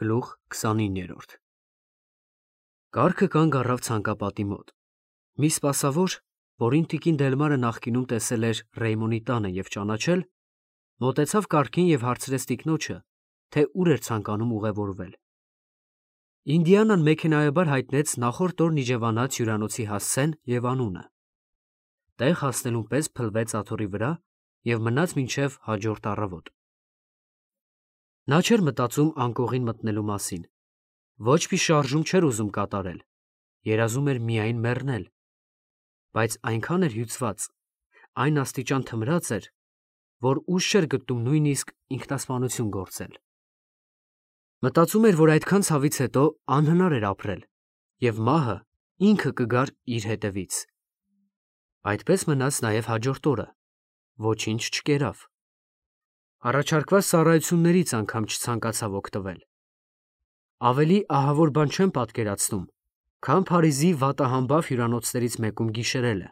Գլուխ 29 Կառքը կանգ առավ ցանկապատի մոտ։ Մի սպասավոր, որին տիկին Դելմարը նախկինում տեսել էր Ռեյմոնի տանը և ճանաչել, մոտեցավ կառքին և հարցրեց տիկնոջը, թե ուր էր ցանկանում ուղևորվել։ Ինդիանան մեքենայաբար հայտնեց նախորդ օրն իջևանած հյուրանոցի հասցեն և անունը։ Տեղ հասնելուն պես փլվեց աթոռի վրա և մնաց մինչև հաջորդ առավոտ։ Նա չէր մտածում անկողին մտնելու մասին, ոչ մի շարժում չէր ուզում կատարել, երազում էր միայն մեռնել, բայց այնքան էր հյուծված, այն աստիճան թմրած էր, որ ուժ չէր գտնում նույնիսկ ինքնասպանություն գործել։ Մտածում էր, որ այդքան ցավից հետո անհնար էր ապրել, և մահը ինքը կգար իր հետևից։ Այդպես մնաց նաև հաջորդ օրը, ոչինչ չկերավ։ Առաջարկված ծառայություններից անգամ չցանկացավ օգտվել։ Ավելի ահավոր բան չեմ պատկերացնում, քան Փարիզի վատահամբավ հյուրանոցներից մեկում գիշերելը,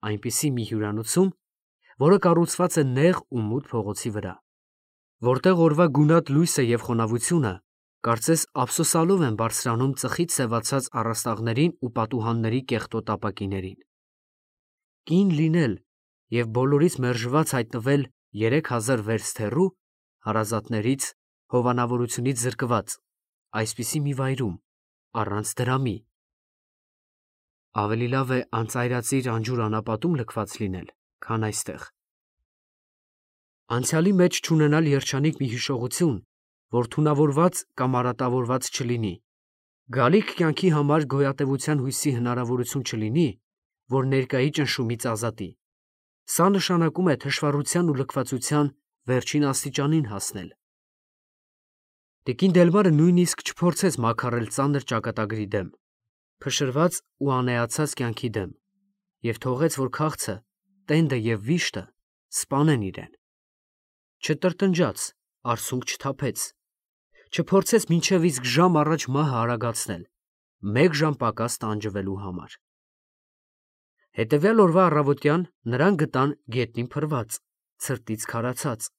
այնպիսի մի հյուրանոցում, որը կառուցված է նեղ ու մութ փողոցի վրա, որտեղ օրվա գունատ լույսը և խոնավությունը կարծես ափսոսալով են բարձրանում ծխից սևացած առաստաղներին ու պատուհանների կեղտոտ ապակիներին։ Կին լինել և բոլորից մերժված հայտնվել 3000 վերստ հեռու, հարազատներից, հովանավորությունից զրկված, այսպիսի մի վայրում, առանց դրամի։ Ավելի լավ է անծայրածիր անջուր անապատում լքված լինել, քան այստեղ։ Անցյալի մեջ չունենալ երջանիկ մի հիշողություն, որ թունավորված կամ արատավորված չլինի, գալիք կյանքի համար գոյատևության հույսի հնարավորություն չլինի, որ ներկայի ճնշումից ազատի։ Սա նշանակում է թշվառության ու լքվածության վերջին աստիճանին հասնել։ Տիկին Դելմարը նույնիսկ չփորձեց մաքարել ծանր ճակատագրի դեմ, փշրված ու անեացած կյանքի դեմ, և թողեց, որ քաղցը, տենդը և վիշտը սպանեն իրեն։ Չտրտնջաց, արցունք չթափեց, չփորձեց մինչև իսկ ժամ առաջ մահը արագացնել, մեկ ժամ պակաս տանջվելու համար։ Հետևյալ օրվա առավոտյան նրան գտան գետնին փռված, ցրտից քարացած,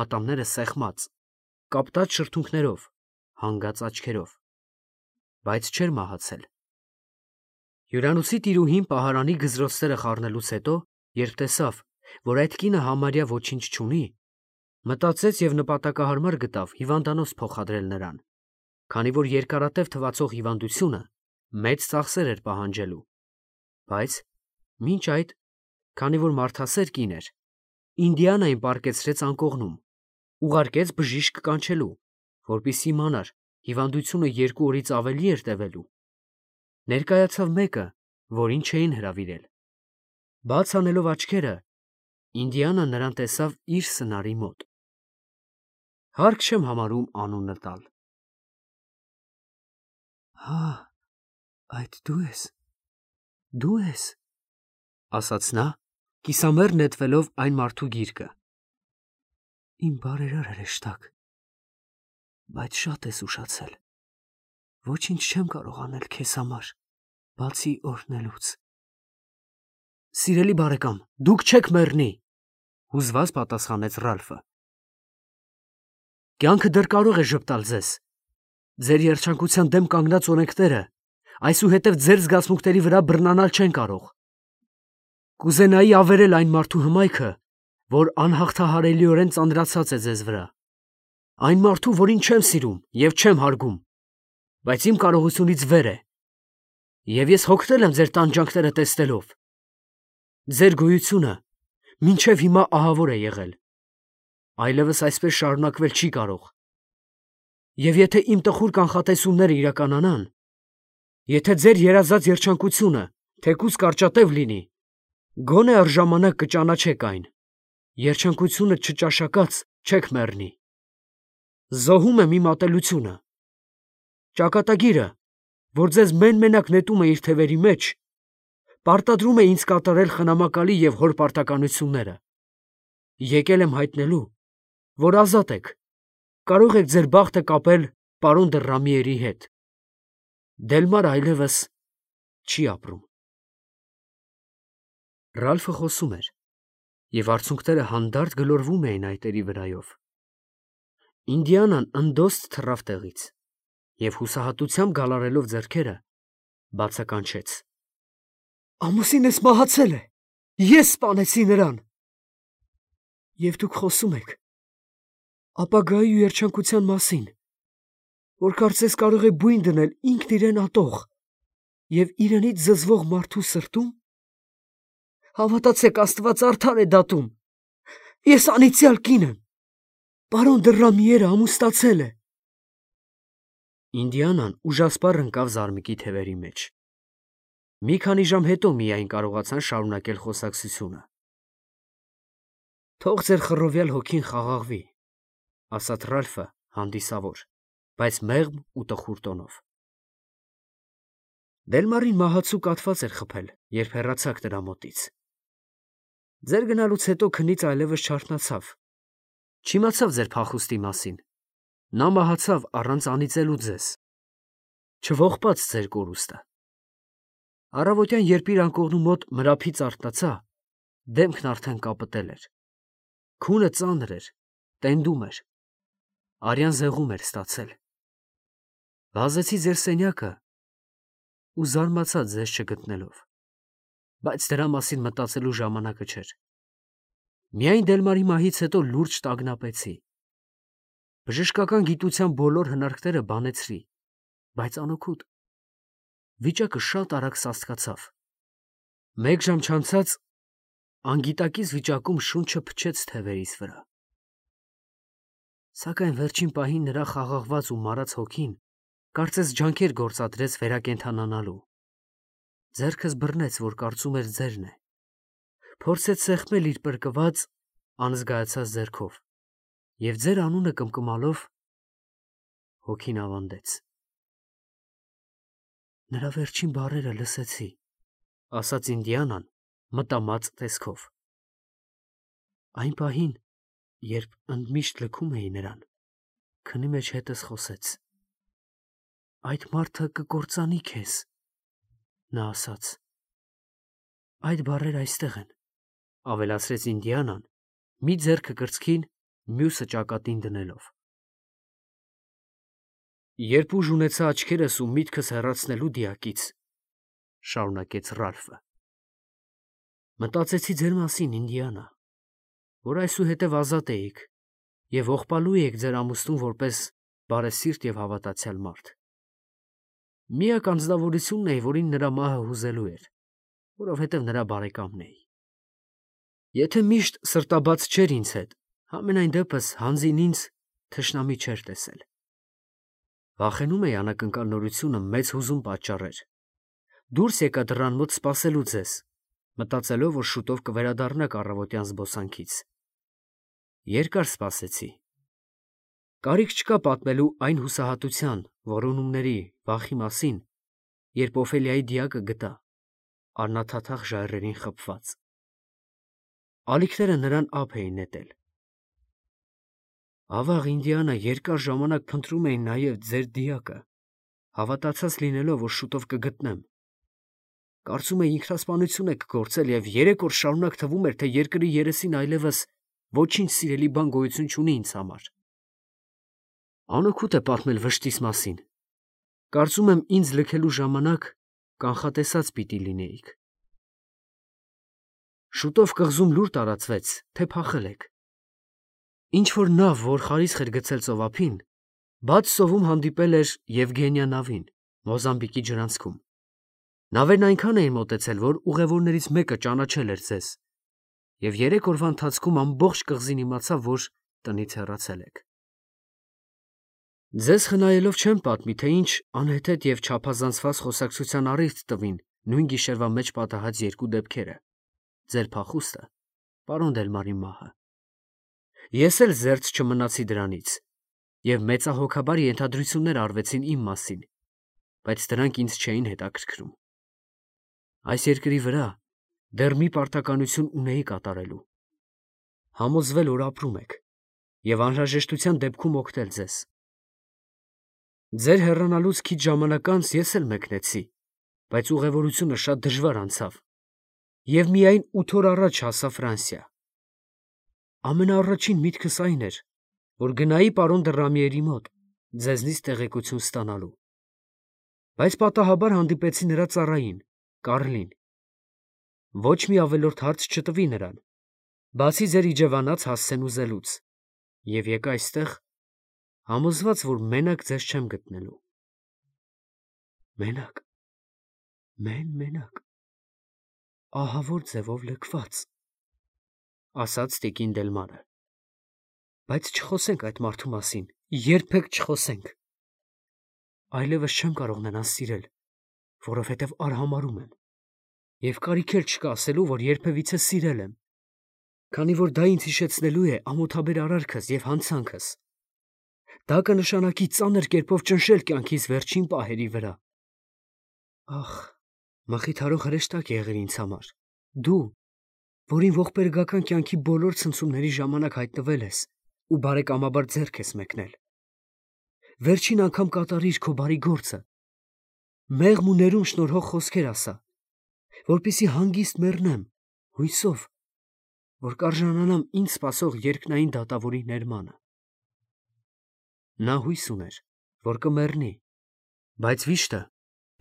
ատամները սեղմած, կապտած շրթունքներով, հանգած աչքերով, բայց չէր մահացել։ Հյուրանոցի տիրուհին պահարանի գզրոցները խառնելուց հետո, երբ տեսավ, որ այդ կինը համարյա ոչինչ չունի, մտածեց և նպատակահարմար գտավ հիվանդանոց փոխադրել նրան, քանի որ երկարատև թվացող հիվանդությունը մեծ ծախսեր էր պահանջելու, բայց մինչ այդ, քանի որ մարդասեր կին էր, Ինդիանային պառկեցրեց անկողնում, ուղարկեց բժիշկ կանչելու, որպեսզի իմանար հիվանդությունը 2 օրից ավելի էր տևելու։ Ներկայացավ մեկը, որին չէին հրավիրել։ Բաց անելով աչքերը, Ինդիանան նրան տեսավ իր սնարի մոտ։ Հարկ չեմ համարում անունը տալ։ «Հա, այդ դու ես, ասաց նա, կիսամեռ նետվելով այն մարդու գիրկը։ Իմ բարերար հրեշտակ, բայց շատ ես ուշացել, ոչինչ չեմ կարող անել քեզ համար, բացի օրհնելուց։ Սիրելի բարեկամ, դուք չեք մեռնի, հուզված պատասխանեց Ռալֆը։ Կյանքը դեռ կարող է ժպտալ ձեզ։ Ձեր երջանկության դեմ կանգնած օրենքները այսուհետև ձեր զգացմունքների վրա բռնանալ չեն կարող։ Կուզենայի ավերել այն մարդու հմայքը, որ անհաղթահարելիորեն ծանրացած է ձեզ վրա, այն մարդու, որին չեմ սիրում և չեմ հարգում, բայց իմ կարողությունից վեր է, և ես հոգնել եմ ձեր տանջանքները տեսնելով։ Ձեր գոյությունը մինչև հիմա ահավոր է եղել, այլևս այսպես շարունակվել չի կարող։ Եվ եթե իմ տխուր կանխատեսումները իրականանան, եթե ձեր երազած երջանկությունը թեկուզ կարճատև լինի, գոնե առժամանակ կճանաչեք այն, երջանկությունը չճաշակած չեք մեռնի։ Զոհում եմ իմ ատելությունը։ Ճակատագիրը, որ ձեզ մեն-մենակ նետում է իր թևերի մեջ, պարտադրում է ինձ կատարել խնամակալի և հոր պարտականությունները։ Եկել եմ հայտնելու, որ ազատ եք, կարող եք ձեր բախտը կապել պարոն դը Ռամիերի հետ։ Դելմարը այլևս չի ապրում։ Ռալֆը խոսում էր, և արցունքները հանդարտ գլորվում էին այտերի վրայով։ Ինդիանան ընդոստ թռավ տեղից։ և հուսահատությամբ գալարելով ձեռքերը, բացականչեց. «Ամուսինս մահացել է, ես սպանեցի նրան»։ Եվ դուք խոսում եք ապագայի ու երջանկության մասին, որ կարծես կարող է բույն դնել ինքն իրեն ատող և իրենից զզվող մարդու սրտում։ Հավատացեք, Աստված արդար է դատում։ Ես անիծյալ կին եմ, պարոն Դռամիերը ամուսնացել է։ Ինդիանան ուժասպառ ընկավ զարմիկի թևերի մեջ։ Մի քանի ժամ հետո միայն կարողացան շարունակել խոսակցությունը։ Թող ձեր խռովյալ հոգին խաղաղվի, ասաց Ռալֆը հանդիսավոր, բայց մեղմ ու տխուր տոնով։ Դելմարին մահացու կաթված էր խփել, երբ հեռացաք նրա մոտից։ Ձեր գնալուց հետո քնից այլևս չարթնացավ։ Չիմացավ ձեր փախուստի մասին։ Նա մահացավ առանց անիծելու ձեզ։ Չողբաց ձեր կորուստը։ Առավոտյան, երբ իր անկողնու մոտ մրափից արթնացա, դեմքն արդեն կապտել էր։ Քունը ծանր էր, տենդում էր։ Արյան զեղում էր ստացել։ Վազեցի ձեր սենյակը ու զարմացա ձեզ չգտնելով, բայց դրա մասին մտածելու ժամանակը չէր։ Միայն Դելմարի մահից հետո լուրջ տագնապեցի։ Բժշկական գիտության բոլոր հնարքները բանեցրի, բայց անօգուտ։ Վիճակը շատ արագ սաստկացավ։ Մեկ ժամ չանցած անգիտակից վիճակում շունչը փչեց թևերիս վրա։ Սակայն վերջին պահին նրա խաղաղված ու մարած հոգին կարծես ջանքեր գործադրեց վերակենդանանալու։ Ձեռքս բռնեց, որ կարծում էր ձերն է։ Փորձեց սեղմել իր պրկված, անզգայացած ձեռքով և ձեր անունը կմկմալով հոգին ավանդեց։ Նրա վերջին բառերը լսեցի, ասաց Ինդիանան մտամած տեսքով։ Այն պահին, երբ ընդմիշտ լքում էի նրան, քնի մեջ հետս խոսեց. «Այդ մարդը կկործանի քեզ», նա ասաց։ «Այդ բառերը այստեղ են», ավելացրեց Ինդիանան, մի ձեռքը կրծքին, մյուսը ճակատին դնելով։ Երբ ուժ ունեցա աչքերս ու միտքս հեռացնելու դիակից, շարունակեց Ռալֆը, մտածեցի ձեր մասին, Ինդիանա, որ այսուհետև ազատ էիք և ողբալու էիք ձեր ամուսնուն որպես բարեսիրտ և հավատացյալ մարդ։ Միակ անձնավորությունն էի, որին նրա մահը հուզելու էր, որովհետև նրա բարեկամն էի։ Եթե միշտ սրտաբաց չէր ինձ հետ, համենայն դեպս հանձին ինձ թշնամի չէր տեսել։ Վախենում էի անակնկալ նորությունը մեծ հուզում պատճառեր։ Դուրս եկա դռան մոտ սպասելու ձեզ, մտածելով, որ շուտով կվերադառնաք առավոտյան զբոսանքից։ Երկար սպասեցի։ Կարիք չկա պատմելու այն հուսահատության, որոնումների, վախի մասին, երբ Օֆելիայի դիակը գտա, առնաթաթախ ժայռերին խփված։ Ալիքները նրան ափ էին նետել։ Ավաղ, Ինդիանա, երկար ժամանակ փնտրում էի նաև ձեր դիակը, հավատացած լինելով, որ շուտով կգտնեմ։ Կարծում էի ինքնասպանություն եք գործել և 3 օր շարունակ թվում էր, թե երկրի երեսին այլևս ոչինչ սիրելի բան գոյություն չունի ինձ համար։ Անօգուտ է պատմել վշտիս մասին։ Կարծում եմ ինձ լքելու ժամանակ կանխատեսած պիտի լինեիք։ Շուտով կղզում լուր տարածվեց, թե փախել եք։ Ինչ-որ նավ, որ խարիսխ էր գցել ծովափին, բաց ծովում հանդիպել էր Եվգենիա նավին, Մոզամբիկի ջրանցքում։ Նավերն այնքան էին մոտեցել, որ ուղևորներից մեկը ճանաչել էր ձեզ, և 3 օրվա ընթացքում ամբողջ կղզին իմացավ, որ տնից հեռացել եք։ Ձեզ խնայելով չեմ պատմի, թե ինչ անհեթեթ և չափազանցված խոսակցության առիթ տվին նույն գիշերվա մեջ պատահած 2 դեպքերը՝ ձեր փախուստը, պարոն Դելմարի մահը։ Ես էլ զերծ չմնացի դրանից, և մեծահոգաբար ենթադրություններ արվեցին իմ մասին, բայց դրանք ինձ չէին հետաքրքրում։ Այս երկրի վրա դեռ մի պարտականություն ունեի կատարելու։ Համոզվել, որ ապրում եք, և անհրաժեշտության դեպքում օգնել ձեզ։ Ձեր հեռանալուց քիչ ժամանակ անց ես էլ մեկնեցի, բայց ուղևորությունը շատ դժվար անցավ, և միայն 8 օր առաջ հասա Ֆրանսիա։ Ամենաառաջին միտքս այն էր, որ գնայի պարոն Դռամիերի մոտ ձեզնից տեղեկություն ստանալու։ Բայց պատահաբար հանդիպեցի նրա ծառային, Կարլին։ Ոչ մի ավելորդ հարց չտվի նրան, բացի ձեր իջևանած հասցեն ուզելուց, և եկա այստեղ, համոզված, որ մենակ ձեզ չեմ գտնելու։ Մենակ, մենակ, ահավոր ձևով լքված, ասաց տիկին Դելմարը։ Բայց չխոսենք այդ մարդու մասին, երբեք չխոսենք։ Այլևս չեմ կարող նրան սիրել, որովհետև արհամարհում եմ, և կարիք էլ չկա ասելու, որ երբևիցե սիրել եմ, քանի որ դա ինձ հիշեցնելու է ամոթաբեր արարքս և հանցանքս։ Դա կնշանակի ծանր կերպով ճնշել կյանքիս վերջին պահերի վրա։ Ախ, մխիթարող հրեշտակ եղիր ինձ համար, դու, որին ողբերգական կյանքի բոլոր ցնցումների ժամանակ հայտնվել ես ու բարեկամաբար ձեռք ես մեկնել։ Վերջին անգամ կատարիր քո բարի գործը, մեղմ ու ներում շնորհող խոսքեր ասա, որպեսզի հանգիստ մեռնեմ, հույսով, որ կարժանանամ ինձ սպասող երկնային դատավորի ներմանը։ Նա հույս ուներ, որ կմեռնի, բայց վիշտը,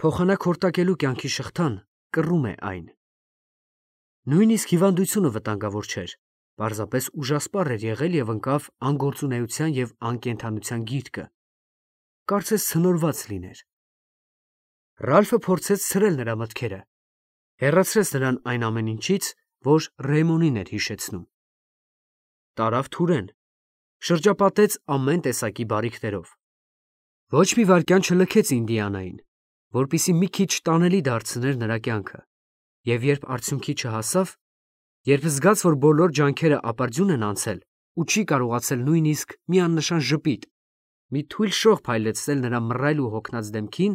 փոխանակ հորտակելու կյանքի շղթան, կռում է այն։ Նույնիսկ հիվանդությունը վտանգավոր չէր, պարզապես ուժասպառ էր եղել և ընկավ անգործունեության և անկենդանության գիրկը, կարծես ցնորված լիներ։ Ռալֆը փորձեց ցրել նրա մտքերը, հեռացրեց նրան այն ամեն ինչից, որ Ռեյմոնին էր հիշեցնում։ Տարավ Թուրեն, շրջապատեց ամեն տեսակի բարիքներով։ Ոչ մի վայրկյան չլքեց Ինդիանային, որպեսզի մի քիչ տանելի դարձներ նրա կյանքը, և երբ արդյունքի չհասավ, երբ զգաց, որ բոլոր ջանքերը ապարդյուն են անցել ու չի կարողացել նույնիսկ մի աննշան ժպիտ, մի թույլ շող փայլեցնել նրա մռայլ ու հոգնած դեմքին,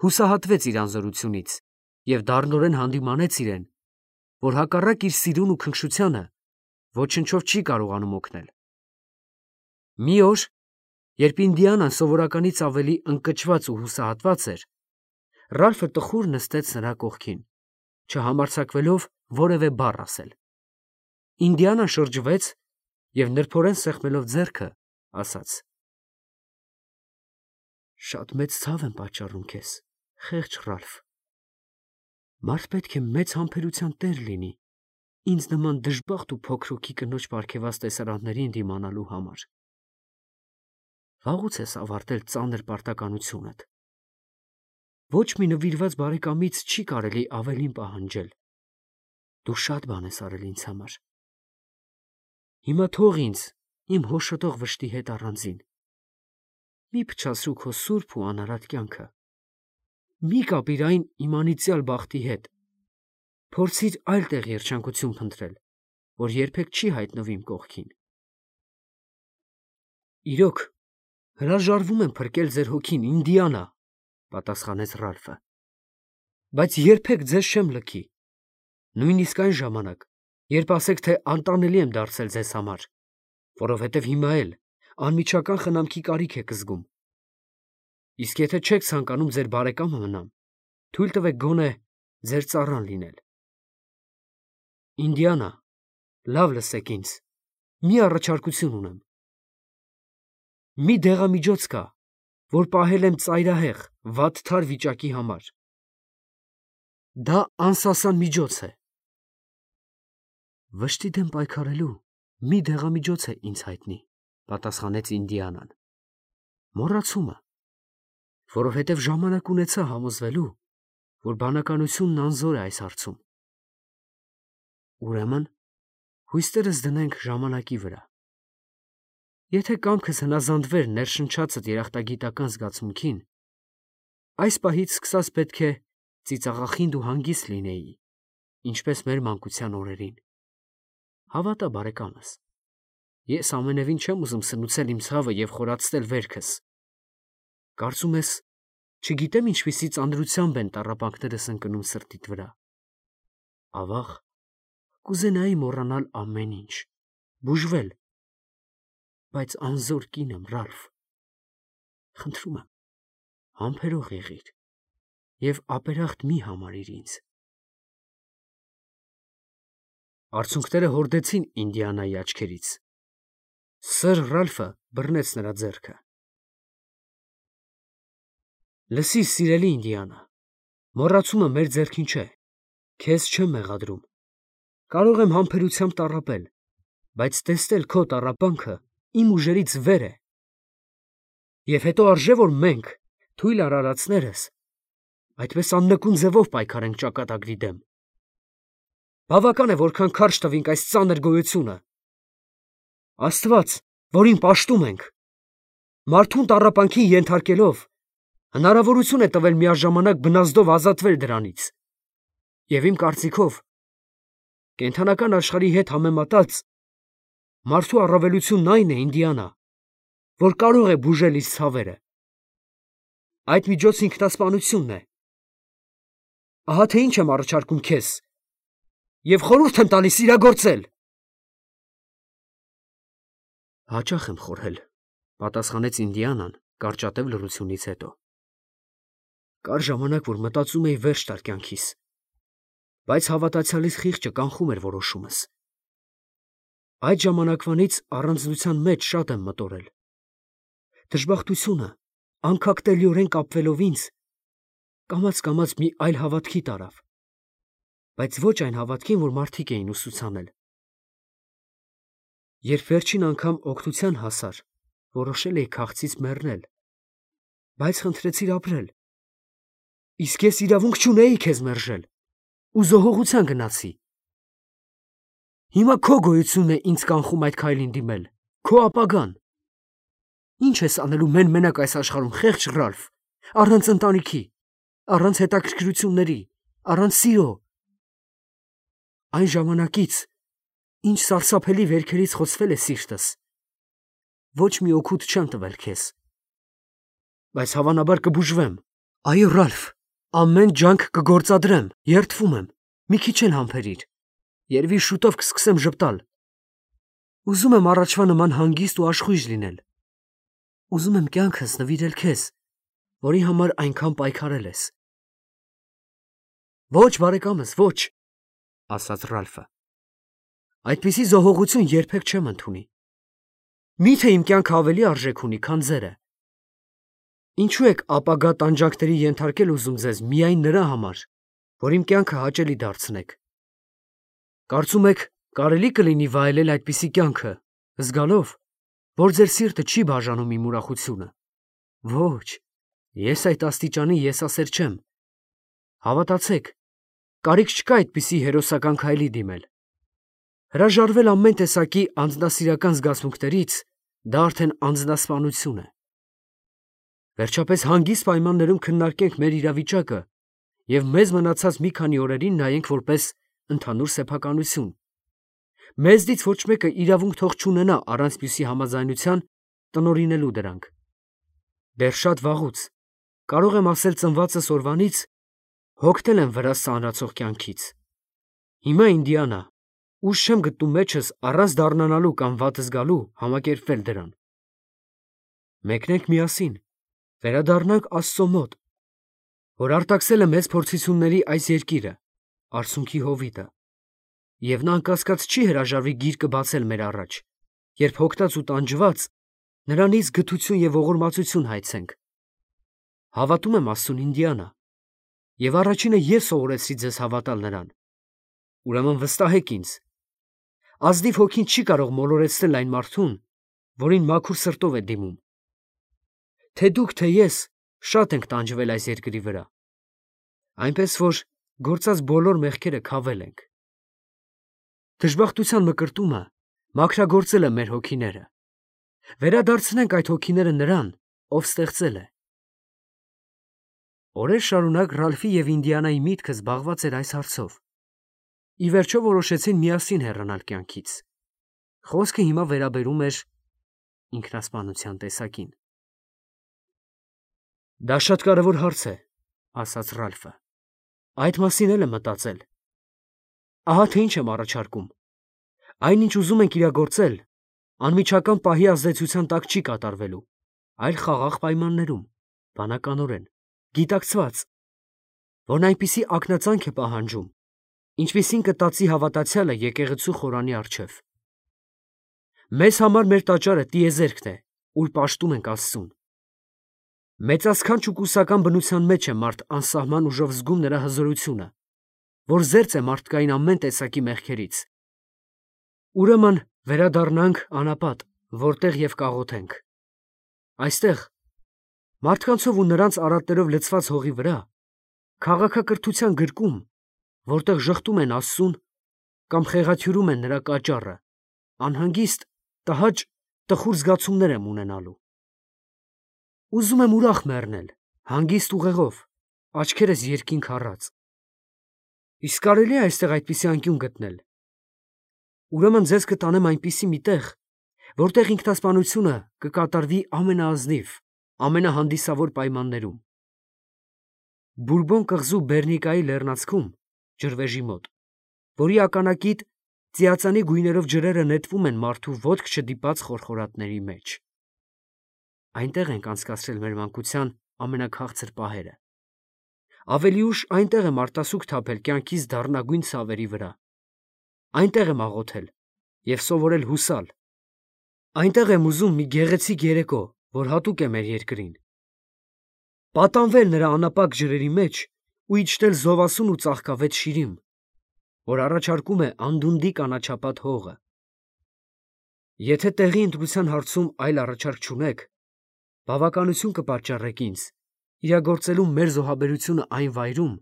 հուսահատվեց իր անզորությունից և դառնորեն հանդիմանեց իրեն, որ հակառակ իր սիրուն ու քնքշությանը ոչնչով չի կարողանում օգնել։ Մի օր, երբ Ինդիանան սովորականից ավելի ընկճված ու հուսահատված էր, Ռալֆը տխուր նստեց նրա կողքին, չհամարձակվելով որևէ բառ ասել։ Ինդիանան շրջվեց և նրբորեն սեղմելով ձեռքը, ասաց. Շատ մեծ ցավ եմ պատճառում քեզ, խեղճ Ռալֆ։ Մարդ պետք է մեծ համբերության տեր լինի, ինձ նման դժբախտ ու փոքրուկի կնոջ պարգևած տեսարաններին դիմանալու համար։ Վաղուց ես ավարտել ծանր պարտականությունդ։ Ոչ մի նվիրված բարեկամից չի կարելի ավելին պահանջել։ Դու շատ բան ես արել ինձ համար։ Հիմա թող ինձ իմ հոշոտող վշտի հետ առանձին։ Մի փչացրու քո սուրբ ու անարատ կյանքը։ Մի կապիր այն իմ անիծյալ բախտի հետ։ Փորձիր այլ տեղ երջանկություն փնտրել, որ երբեք չի հայտնվի իմ կողքին։ Իրոք, հրաժարվում եմ փրկել ձեր հոգին, Ինդիանա, պատասխանեց Ռալֆը, բայց երբեք ձեզ չեմ լքի, նույնիսկ այն ժամանակ, երբ ասեք, թե անտանելի եմ դարձել ձեզ համար, որովհետև հիմա էլ անմիջական խնամքի կարիք եք զգում։ Իսկ եթե չեք ցանկանում ձեր բարեկամը մնամ, թույլ տվեք գոնե ձեր ծառան լինել։ Ինդիանա, լավ լսեք ինձ, մի առաջարկություն ունեմ։ Մի դեղամիջոց կա, որ պահել եմ ծայրահեղ, վատթար վիճակի համար։ Դա անսասան միջոց է։ Վշտի դեմ պայքարելու մի դեղամիջոց է ինձ հայտնի, պատասխանեց Ինդիանան։ Մոռացումը, որովհետև ժամանակ ունեցա համոզվելու, որ բանականությունն անզոր է այս հարցում։ Ուրեմն, հույսերս դնենք ժամանակի վրա։ Եթե կամքս հնազանդվեր ներշնչածդ երախտագիտական զգացմունքին, այս պահից սկսած պետք է ծիծաղախինդ ու հանգիստ լինեի, ինչպես մեր մանկության օրերին։ Հավատա, բարեկամս, ես ամենևին չեմ ուզում սնուցել իմ ցավը և խորացնել վերքս։ Կարծում ես, չգիտեմ ինչպիսի ծանրությամբ են տառապանքներս ընկնում սրտիդ վրա։ Ավաղ, կուզենայի մոռանալ ամեն ինչ, բուժվել, բայց անզոր կին եմ, Ռալֆ։ Խնդրում եմ, համբերող եղիր և ապերախտ մի համարիր ինձ։ Արցունքները հորդեցին Ինդիանայի աչքերից։ Սըր Ռալֆը բռնեց նրա ձեռքը։ Լսի, սիրելի Ինդիանա, մոռացումը մեր ձեռքին չէ, քեզ չեմ մեղադրում, կարող եմ համբերությամբ տառապել, բայց տեսնել քո տառապանքը իմ ուժերից վեր է, և հետո արժե, որ մենք, թույլ արարածներս, այդպես աննկուն ձևով պայքարենք ճակատագրի դեմ։ Բավական է, որքան քարշ տվինք այս ծանր գոյությունը։ Աստված, որին պաշտում ենք, մարդուն տառապանքին ենթարկելով, հնարավորություն է տվել միաժամանակ բնազդով ազատվել դրանից։ Եվ իմ կարծիքով, կենդանական աշխարհի հետ համեմատած, մարդու առավելությունն այն է, Ինդիանա, որ կարող է բուժել իր ցավերը։ Այդ միջոցը ինքնասպանությունն է։ Ահա թե ինչ եմ առաջարկում քեզ, և խորհուրդ եմ տալիս իրագործել։ Հաճախ եմ խորհել, պատասխանեց Ինդիանան կարճատև լռությունից հետո։ Կար ժամանակ, որ մտածում էի վերջ տալ կյանքիս, բայց հավատացյալից խիղճը կանխում էր որոշումս։ Այդ ժամանակվանից առանձնության մեջ շատ եմ մտորել։ Դժբախտությունը, անկախտելիորեն կապվելով ինձ, կամաց մի այլ հավատքի տարավ, բայց ոչ այն հավատքին, որ մարդիկ էին ուսուցանել։ Երբ վերջին անգամ օգնության հասար, որոշել էի քաղցից մեռնել, բայց խնդրեցիր ապրել, իսկ ես իրավունք չունեի քեզ մերժել ու զոհողության գնացի։ Հիմա քո գոյությունն է ինձ կանխում այդ քայլին դիմել, քո ապագան։ Ինչ ես անելու մեն-մենակ այս աշխարհում, խեղճ Ռալֆ, առանց ընտանիքի, առանց հետաքրքրությունների, առանց սիրո։ Այն ժամանակից, ինչ սարսափելի վերքերից խոցվել է սիրտս, ոչ մի օգուտ չեմ տվել քեզ, բայց հավանաբար կբուժվեմ։ Այո, Ռալֆ, ամեն ջանք կգործադրեմ, երդվում եմ, մի քիչ էլ համբերիր, երևի շուտով կսկսեմ ժպտալ։ Ուզում եմ առաջվա նման հանգիստ ու աշխույժ լինել։ Ուզում եմ կյանքս նվիրել քեզ, որի համար այնքան պայքարել ես։ Ոչ, բարեկամս, ոչ, ասաց Ռալֆը։ Այդպիսի զոհողություն երբեք չեմ ընդունի։ Միթե իմ կյանքը ավելի արժեք ունի, քան ձերը։ Ինչու եք ապագա տանջանքների ենթարկել ուզում ձեզ միայն նրա համար, որ իմ կյանքը հաճելի դարձնեք։ Կարծում եք, կարելի կլինի վայելել այդպիսի կյանքը, զգալով, որ ձեր սիրտը չի բաժանում իմ ուրախությունը։ Ոչ, ես այդ աստիճանի եսասեր չեմ։ Հավատացեք, կարիք չկա այդպիսի հերոսական քայլի դիմել։ Հրաժարվել ամեն տեսակի անձնասիրական զգացմունքներից, դա արդեն անձնասպանություն է։ Վերջապես հանգիստ պայմաններում քննարկենք մեր իրավիճակը և մեզ մնացած մի քանի օրերին նայենք որպես ընդհանուր սեփականություն։ Մեզնից ոչ մեկը իրավունք թող չունենա առանց մյուսի համաձայնության տնօրինելու դրանք։ Դեռ շատ վաղուց, կարող եմ ասել ծնվածս օրվանից, հոգնել եմ վրաս ծանրացող կյանքից։ Հիմա, Ինդիանա, ուժ չեմ գտնում մեջս առանց դառնանալու կամ վատ զգալու համակերպվել դրան։ Մեկնենք միասին, վերադառնանք Աստծո մոտ, որ արտաքսել է մեծ փորձությունների այս երկիրը, արցունքի հովիտը, և նա անկասկած չի հրաժարվի գիրկը բացել մեր առաջ, երբ հոգնած ու տանջված նրանից գթություն և ողորմածություն հայցենք։ Հավատում եմ Աստծուն, Ինդիանա, և առաջինը ես սովորեցրի ձեզ հավատալ նրան։ Ուրեմն վստահեք ինձ, ազնիվ հոգին չի կարող մոլորեցնել այն մարդուն, որին մաքուր սրտով է դիմում։ Թե դուք, թե ես շատ ենք տանջվել այս երկրի վրա, այնպես որ գործած բոլոր մեղքերը քավել ենք։ Դժբախտության մկրտումը մաքրագործել է մեր հոգիները։ Վերադարձնենք այդ հոգիները նրան, ով ստեղծել է։ Օրեր շարունակ Ռալֆի և Ինդիանայի միտքը զբաղված էր այս հարցով։ Ի վերջո որոշեցին միասին հեռանալ կյանքից։ Խոսքը հիմա վերաբերում էր ինքնասպանության տեսակին։ Դա շատ կարևոր հարց է, ասաց Ռալֆը։ Այդ մասին էլ եմ մտածել։ Ահա թե ինչ եմ առաջարկում։ Այնինչ ուզում ենք իրագործել, անմիջական պահի ազդեցության տակ չի կատարվելու, այլ խաղաղ պայմաններում, բանականորեն, գիտակցված, որն այնպիսի ակնածանք է պահանջում, ինչպիսին կտածի հավատացյալը եկեղեցու խորանի առջև։ Մեզ համար մեր տաճարը տիեզերքն է, ուր պաշտում ենք Աստծուն։ Մեծասքանչ ու կուսական բնության մեջ է մարդ անսահման ուժով զգում նրա հզորությունը, որ զերծ է մարդկային ամեն տեսակի մեղքերից։ Ուրեմն վերադառնանք անապատ, որտեղ և կաղոթենք։ Այստեղ, մարդկանցով ու նրանց արատներով լցված հողի վրա, քաղաքակրթության գրկում, որտեղ ժխտում են Աստծուն կամ խեղաթյուրում են նրա կաճառը, անհանգիստ, տհաճ, տխուր զգացումներ եմ ունենալու։ Ուզում եմ ուրախ մեռնել, հանգիստ ուղեղով, աչքերս երկինք առած։ Իսկ կարելի է այստեղ այդպիսի անկյուն գտնել։ Ուրեմն ձեզ կտանեմ այնպիսի մի տեղ, որտեղ ինքնասպանությունը կկատարվի ամենաազնիվ, ամենահանդիսավոր պայմաններում։ Բուրբոն կղզու Բեռնիկայի լեռնանցքում, ջրվեժի մոտ, որի ականակիտ ծիածանի գույներով ջրերը նետվում են մարդու ոտք չդիպած խորխորատների մեջ։ Այնտեղ ենք անցկացրել մեր մանկության ամենաքաղցր պահերը։ Ավելի ուշ այնտեղ եմ արտասուք թափել կյանքիս դառնագույն ցավերի վրա։ Այնտեղ եմ աղոթել և սովորել հուսալ։ Այնտեղ եմ ուզում մի գեղեցիկ երեկո, որ հատուկ է մեր երկրին, պատանվել նրա անապակ ջրերի մեջ ու իջնել զովասուն ու ծաղկավետ շիրիմ, որ առաջարկում է անդունդի կանաչապատ հողը։ Եթե տեղի ընտրության հարցում այլ առաջարկ չունեք, բավականություն կպատճառեք ինձ իրագործելու մեր զոհաբերությունը այն վայրում,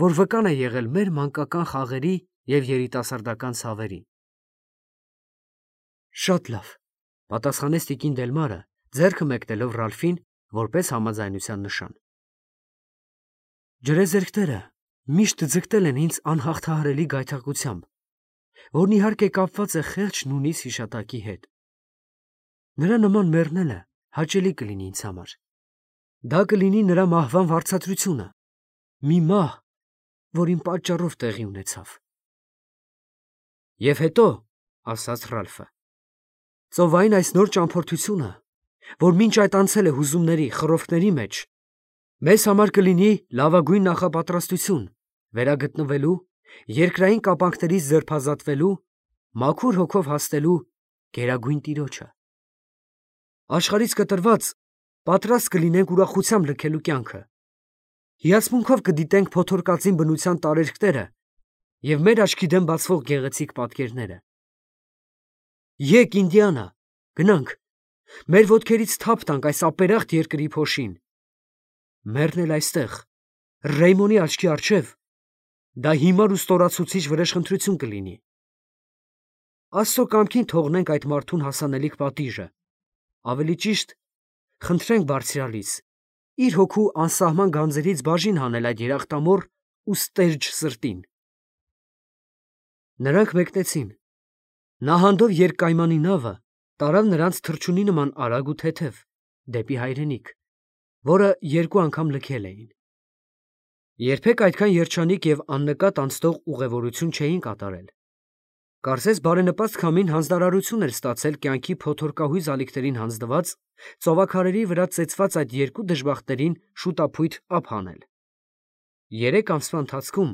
որ վկան է եղել մեր մանկական խաղերի և երիտասարդական ցավերի։ Շատ լավ, պատասխանեց տիկին Դելմարը, ձեռքը մեկնելով Ռալֆին որպես համաձայնության նշան։ Ջրեզերքները միշտ ձգտել են ինձ անհաղթահարելի գայթակղությամբ, որն իհարկե կապված է խեղճ նունից հիշատակի հետ։ Նրա նման մեռնելը հաճելի կլինի ինձ համար։ Դա կլինի նրա մահվան վարձատրությունը, մի մահ, որ իմ պատճառով տեղի ունեցավ։ Եվ հետո, ասաց Ռալֆը, ծովային այս նոր ճամփորդությունը, որ մինչ այդ անցել է հուզումների, խռովքների մեջ, մեզ համար կլինի լավագույն նախապատրաստություն վերագտնվելու, երկրային կապանքներից ձերբազատվելու, մաքուր հոգով հասնելու գերագույն տիրոջը։ Աշխարհից կտրված պատրաստ կլինենք ուրախությամբ լքելու կյանքը։ Հիացմունքով կդիտենք փոթորկածին բնության տարերքները և մեր աչքի դեմ բացվող գեղեցիկ պատկերները։ Եկ, Ինդիանա, գնանք, մեր ոտքերից թափ տանք այս ապերախտ երկրի փոշին։ Մեռնել այստեղ, Ռեյմոնի աչքի առջև, դա հիմար ու ստորացուցիչ վրեժխնդրություն կլինի։ Աստծո կամքին թողնենք այդ մարդուն հասանելիք պատիժը, ավելի ճիշտ, խնդրենք Բարձրյալից իր հոգու անսահման գանձերից բաժին հանել այդ երախտամոռ ու ստերջ սրտին։ Նրանք մեկնեցին։ Նահանդով երկկայմանի նավը տարավ նրանց թռչունի նման արագ ու թեթև դեպի հայրենիք, որը երկու անգամ լքել էին։ Երբեք այդքան երջանիկ և աննկատ անցնող ուղևորություն չէին կատարել։ Կարծես բարենպաստ քամին հանձնարարություն էր ստացել կյանքի փոթորկահույզ ալիքներին հանձնված ծովաքարերի վրա ծեծված այդ երկու դժբախտներին շուտափույթ ափ հանել։ 3 ամսվա ընթացքում,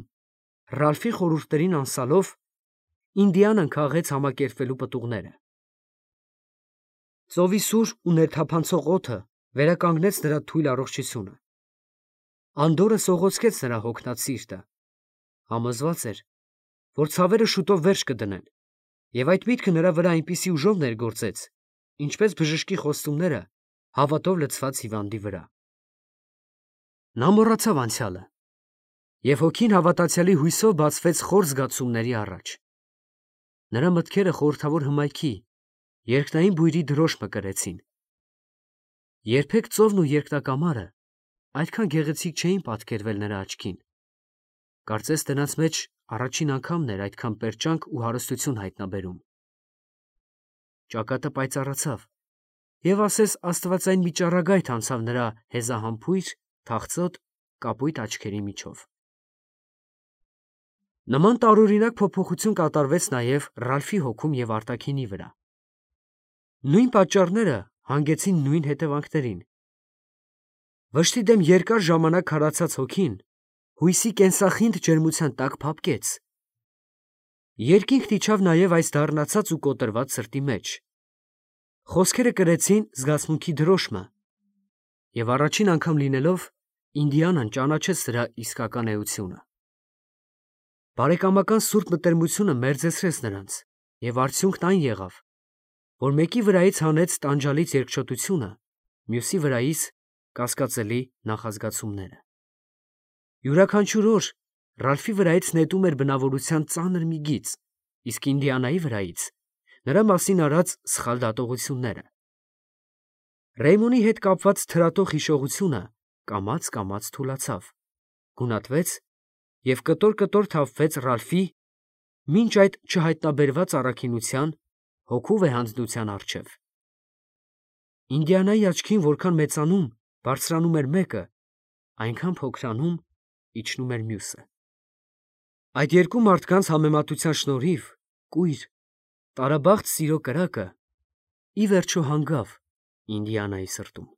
Ռալֆի խորհուրդներին անսալով, Ինդիանան քաղեց համակերպվելու պտուղները։ Ծովի սուր ու ներթափանցող օդը վերականգնեց նրա թույլ առողջությունը։ Անդորրը սողոսկեց նրա հոգնած սիրտը։ Համոզված էր, որ ցավերը շուտով վերջ կդնեն, և այդ միտքը նրա վրա այնպիսի ուժով ներգործեց, ինչպես բժշկի խոստումները հավատով լցված հիվանդի վրա։ Նա մոռացավ անցյալը, և հոգին հավատացյալի հույսով բացվեց խոր զգացումների առաջ։ Նրա մտքերը խորհրդավոր հմայքի, երկնային բույրի դրոշ մկրեցին։ Երբեք ծովն ու երկնակամարը այդքան գեղեցիկ չէին պատկերվել նրա աչքին։ Կարծես դրանց մեջ առաջին անգամն էր այդքան պերճանք ու հարստություն հայտնաբերում։ Ճակատը պայծառացավ, և ասես աստվածային մի ճառագայթ անցավ նրա հեզահամբույր, թախծոտ, կապույտ աչքերի միջով։ Նման տարօրինակ փոփոխություն կատարվեց նաև Ռալֆի հոգում և արտաքինի վրա։ Նույն պատճառները հանգեցին նույն հետևանքներին։ Վշտի դեմ երկար ժամանակ քարացած հոգին հույսի կենսախինդ ջերմության տակ փափկեց։ Երկինքն իջավ նաև այս դառնացած ու կոտրված սրտի մեջ։ Խոսքերը կրեցին զգացմունքի դրոշմը, և առաջին անգամ լինելով Ինդիանան ճանաչեց դրա իսկական էությունը։ Բարեկամական սուրբ մտերմությունը մերձեցրեց նրանց, և արդյունքն այն եղավ, որ մեկի վրայից հանեց տանջալից երկչոտությունը, մյուսի վրայից կասկածելի նախազգացումները։ Յուրաքանչյուր օր Ռալֆի վրայից նետում էր բնավորության ծանր մի գիծ, իսկ Ինդիանայի վրայից նրա մասին արած սխալ դատողությունները։ Ռեյմոնի հետ կապված թրատող հիշողությունը կամաց թուլացավ, գունատվեց և կտոր թափվեց Ռալֆի մինչ այդ չհայտնաբերված առաքինության հոգու վեհանձնության առջև։ Ինդիանայի աչքին որքան մեծանում, բարձրանում էր մեկը, այնքան փոքրանում, իջնում էր մյուսը։ Այդ երկու մարդկանց համեմատության շնորհիվ կույր, տարաբաղձ սիրո կրակը ի վերջո հանգավ Ինդիանայի սրտում։